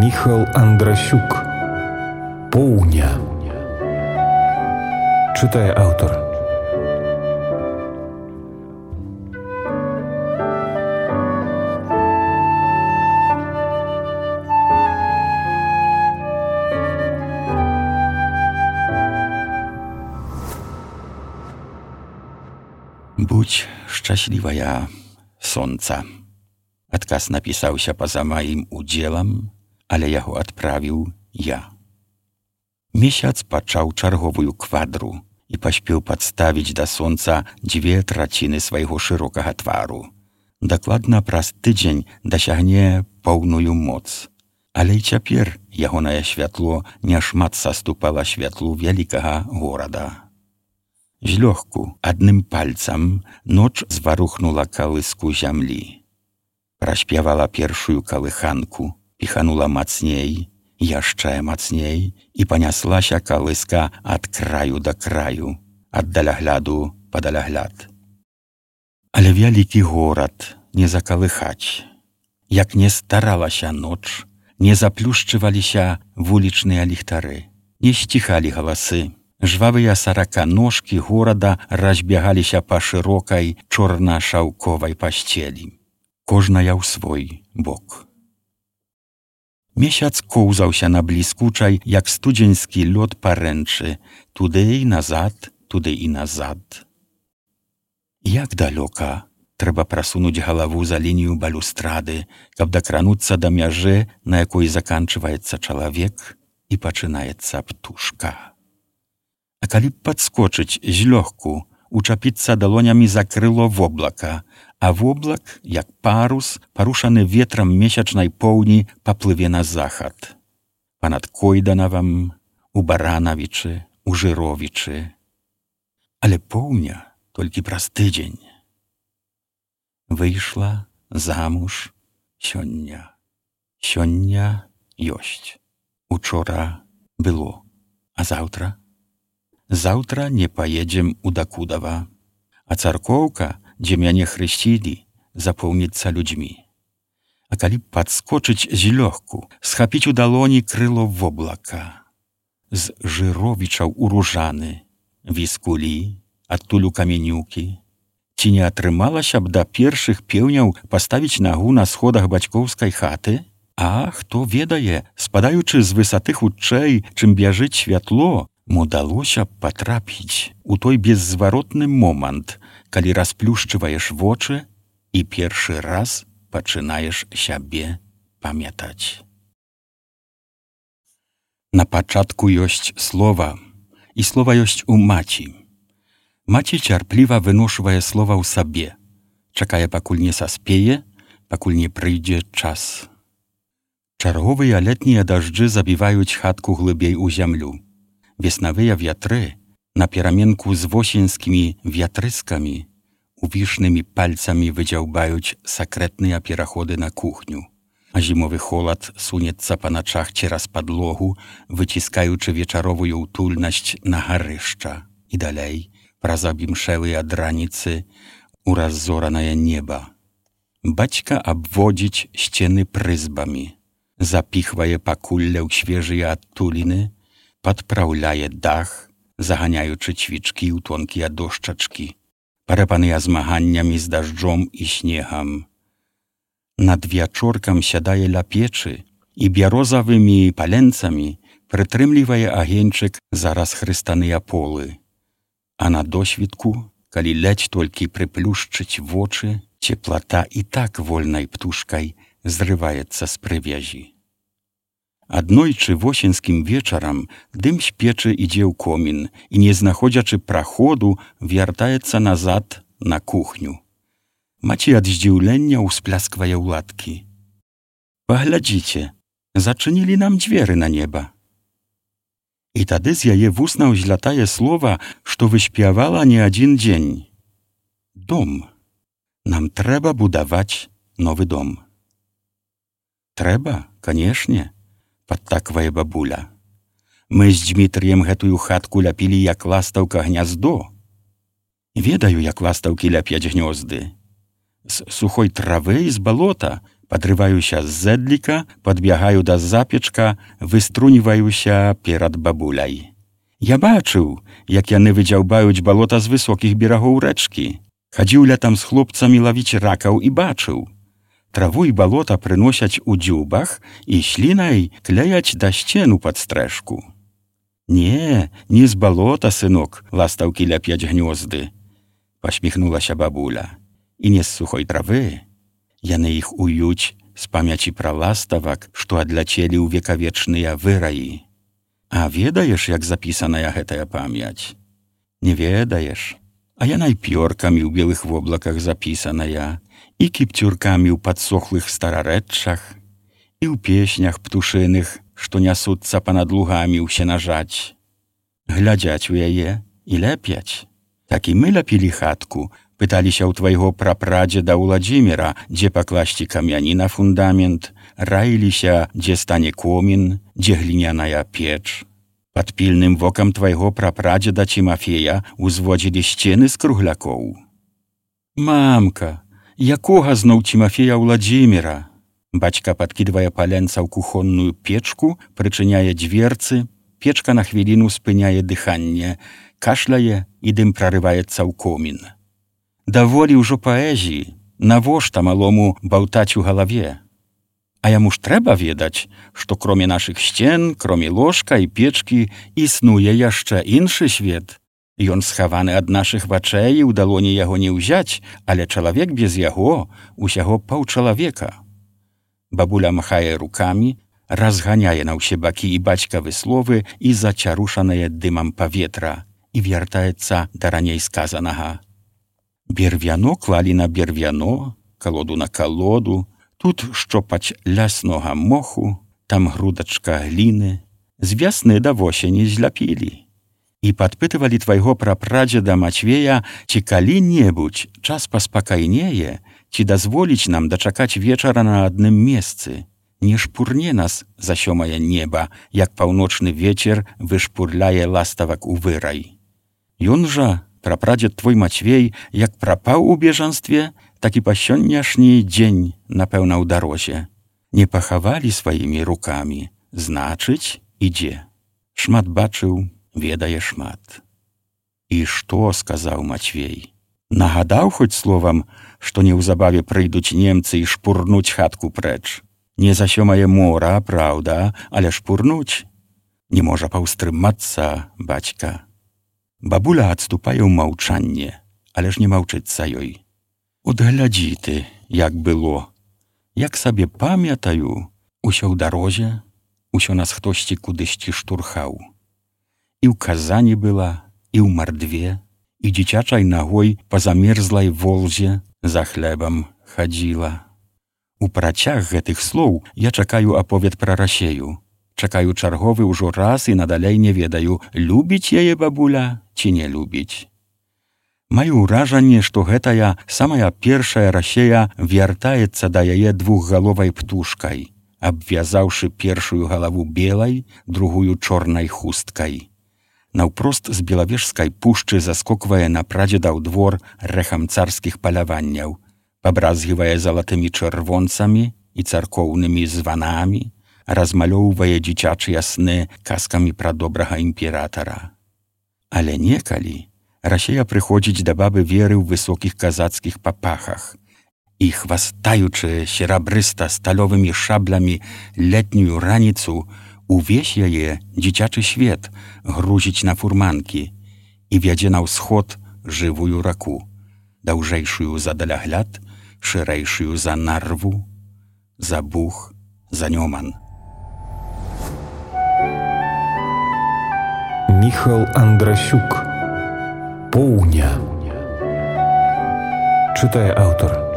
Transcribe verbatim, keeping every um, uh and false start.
Міхал Андрасюк. Поўня. Чытае аўтар. Будź szczęśliwa, сонца. Адказ напісаўся па-за маім удзелам, але яго адправіў я. Месяц пачаў чарговую квадру і паспеў падставіць да сонца дзве траціны свайго шырокага твару. Дакладна праз тыдзень дасягне поўную моц. Але і цяпер ягонае святло няшмат саступала святлу вялікага горада. Злёгку, адным пальцам, ноч зварухнула калыску зямлі. Праспявала першую калыханку, піханула мацней, яшчэ мацней, і паняслася калыска ад краю да краю, ад далягляду па далягляд. Але вялікі горад не закалыхаць. Як не старалася ноч, не заплюшчываліся вулічныя ліхтары, не сціхалі галасы. Жвавыя сараканожкі горада разбягаліся па шырокай чорна-шаўковай пасцелі. Кожная ў свой бок. Месяц коўзаўся на бліскучай, як студзеньскі лёд парэнчы, туды і назад, туды і назад. Як далёка трэба прасунуць галаву за лінію балюстрады, каб дакрануцца да мяжы, на якой заканчваецца чалавек і пачынаецца птушка. А калі б падскочыць злёгку, учапіцца далонямі за крыло воблака, а воблак, як парус, парушаны ветрам месячнай поўні, паплыве на захад. Панад Койданавам, у Баранавічы, у Жыровічы. Але поўня толькі праз тыдзень. Выйшла замуж сёння. Сёння ёсць. Учора было. А заўтра? Заўтра не паедзем у Дакудава, а царкоўка, дзе мяне хрысцілі, запоўніцца людзьмі. А калі падскочыць злёгку, схапіць у далоні крыло воблака. З Жыровічаў у Ружаны, Віскулі, адтуль у Каменюкі. Ці не атрымалася б да першых пеўняў паставіць нагу на сходах бацькоўскай хаты? А хто ведае, спадаючы з высоты хутчэй, чым бяжыць святло, удалося б патрапіць у той беззваротны момант, калі расплюшчваеш вочы і першы раз пачынаеш сябе памятаць. На пачатку ёсць слова, і слова ёсць у маці. Маці цярпліва выношвае слова ў сабе, чакае, пакуль не саспее, пакуль не прыйдзе час. Чарговыя летнія дажджы забіваюць хатку глыбей у зямлю. Веснавыя вятры, на пераменку з восеньскімі вятрыскамі, увішнымі пальцамі выдзяўбаюць сакрэтныя пераходы на кухню, а зімовы холад сунецца па начах цераз падлогу, выціскаючы вечаровую ўтульнасць на гарышча і далей, праз абімшэлыя драніцы, у раззоранае неба. Бацька абводзіць сцены прызбамі, запіхвае пакулля ў свежыя адтуліны, падпраўляе дах, заганяючы цвічкі ў тонкія дошчачкі, парэпаныя змаганнямі з дажджом і снегам. Над вячоркам сядае ля печы і бярозавымі паленцамі прытрымлівае агеньчык за расхрыстаныя полы. А на досвідку, калі ледзь толькі прыплюшчыць вочы, цеплата і так вольнай птушкай зрываецца з прывязі. Аднойчы восеньскім вечарам дым з печы ідзе ў комін і, не знаходзячы праходу, вяртаецца назад на кухню. Маці ад здзіўлення ўсплясквае ўладкі. Паглядзіце, зачынілі нам дзверы на неба. І тады з яе вуснаў злятае слова, што выспявала не адзін дзень. Дом. Нам трэба будаваць новы дом. Трэба, канешне, падтаквае бабуля. Мы з Дзмітрыем гэтую хатку ляпілі, як ластаўка гняздо. Ведаю, як ластаўкі ляпяць гнёзды. З сухой травы і з балота, Падрываюся з зэдліка, падбягаю да запечка, выструніваюся перад бабуляй. Я бачыў, як яны выдзяўбаюць балота з высокіх берагоў рэчкі. Хадзіў летам з хлопцамі лавіць ракаў і бачыў. Траву і балота прыносяць у дзюбах і слінай кляяць да сцену пад стрэшку. Не, не з балота, сынок, ластаўкі ляпяць гнёзды, пасміхнулася бабуля. І не з сухой травы. Яны іх уюць з памяці пра ластавак, што адляцелі ў векавечныя выраі. А ведаеш, як запісаная гэтая памяць? Не ведаеш. А яна і пёркамі ў белых воблаках запісаная, і кіпцюркамі ў падсохлых старарэччах, і ў песнях птушыных, што нясуцца панад лугамі ў сенажаць. Глядзяць у яе і ляпяць. Так і мы ляпілі хатку, пыталіся ў твайго прапрадзеда Уладзіміра, дзе пакласці камяні на фундамент, раіліся, дзе стане комін, дзе гліняная печ. Пад пільным вокам твайго прапрадзеда Цімафея узводзілі сцены з круглякоў. Мамка, якога зноў Цімафея Уладзіміра? Бацька падкідвае паленца ў кухонную печку, прычыняе дзверцы, печка на хвіліну спыняе дыханне, кашляе і дым прарываецца ў комін. Даволі ўжо паэзіі, навошта малому баўтаць у галаве? А яму ж трэба ведаць, што кроме нашых сцен, кроме ложка і печкі, існуе яшчэ іншы свет. Ён схаваны ад нашых вачэй, і ў далоні яго не ўзяць, але чалавек без яго усяго паўчалавека. Бабуля махае рукамі, разганяе на ўсе бакі і бацькавы словы і зацярушанае дымам паветра, і вяртаецца да раней сказанага. Бервяно клалі на бервяно, калоду на калоду, тут шчопаць ляснога моху, там грудачка гліны, з вясны да восені зляпілі. І падпытывалі твайго прапрадзеда Мацвея, ці калі-небудзь час паспакайнее, ці дазволіць нам дачакаць вечара на адным месцы, не шпурне нас за сёмае неба, як паўночны вецер вышпурляе ластавак у вырай. Ён жа, прапрадзед твой Мацвей, як прапаў у бежанстве, так і па сённяшні дзень, напэўна, ў дарозе. Не пахавалі сваімі рукамі, значыць, ідзе. Шмат бачыў, ведае шмат. І што, сказаў Мацвей? Нагадаў хоць словам, што неўзабаве прыйдуць немцы і шпурнуць хатку прэч. Не за сёмае мора, праўда, але шпурнуць. Не можа паўстрымацца, бацька. Бабуля адступае ў маўчанне, але ж не маўчыцца ёй. От глядзі ты, як было. Як сабе памятаю, усё ў дарозе, усё нас хтосьці кудысьці штурхаў. І ў Казані была, і ў Мардве, і дзіцячай нагой па замерзлай волзе за хлебам хадзіла. У працяг гэтых слоў я чакаю аповед пра Расею. Чакаю чарговы ўжо раз і надалей не ведаю, любіць яе бабуля ці не любіць. Маю ўражанне, што гэтая самая першая Расея вяртаецца да яе двухгаловай птушкай, абвязаўшы першую галаву белай, другую чорнай хусткай. Наўпрост з белавежскай пушчы заскоквае на прадзеда ў двор рэхам царскіх паляванняў, пабразгівае залатымі чырвонцамі і царкоўнымі званамі, размалёўвае дзіцячыя сны казкамі пра добрага імператара. Але некалі Расея прыходзіць да бабы Веры ў высокіх казацкіх папахах і, хвастаючы серабрыста сталёвымі шаблямі летнюю раніцу, увесь яе дзіцячы свет грузіць на фурманкі і вядзе на ўсход жывую раку, даўжэйшую за далягляд, шырэйшую за нарву, за бух, за нёман. Міхал Андрасюк. Поўня. Чытае аўтар.